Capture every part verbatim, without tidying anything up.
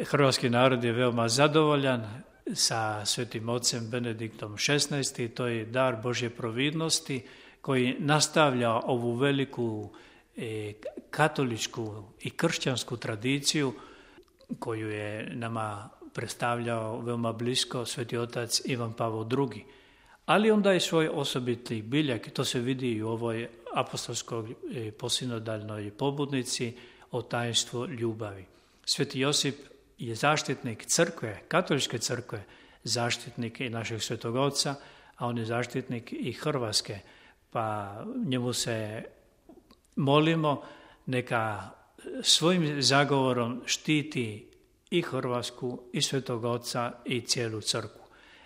hrvatski narod je veoma zadovoljan sa Svetim Ocem Benediktom šesnaestim. To je dar Božje providnosti koji nastavlja ovu veliku e, katoličku i kršćansku tradiciju koju je nama predstavljao veoma blisko Sveti Otac Ivan Pavao drugi. Ali onda je svoj osobiti biljak, to se vidi i u ovoj apostolskoj posinodalnoj pobudnici o tajnstvu ljubavi. Sveti Josip je zaštitnik crkve, katoličke crkve, zaštitnik i našeg Svetog Oca, a on je zaštitnik i Hrvatske, pa njemu se molimo neka svojim zagovorom štiti i Hrvatsku, i Svetog Oca, i cijelu crkvu.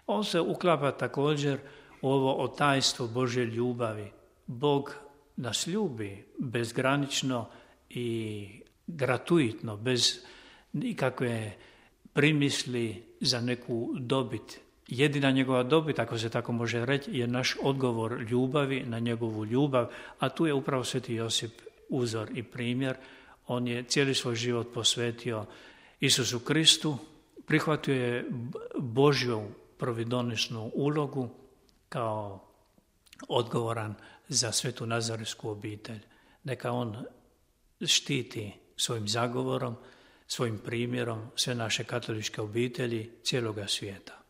On se uklapa također u ovo o tajnstvu Božje ljubavi. Bog nas ljubi bezgranično i gratuitno, bez nikakve primisli za neku dobit. Jedina njegova dobit, ako se tako može reći, je naš odgovor ljubavi na njegovu ljubav, a tu je upravo Sveti Josip uzor i primjer. On je cijeli svoj život posvetio Isusu Kristu, prihvatio je Božju providonosnu ulogu kao odgovoran za Svetu Nazaretsku obitelj. Neka on štiti svojim zagovorom, svojim primjerom sve naše katoličke obitelji cijeloga svijeta.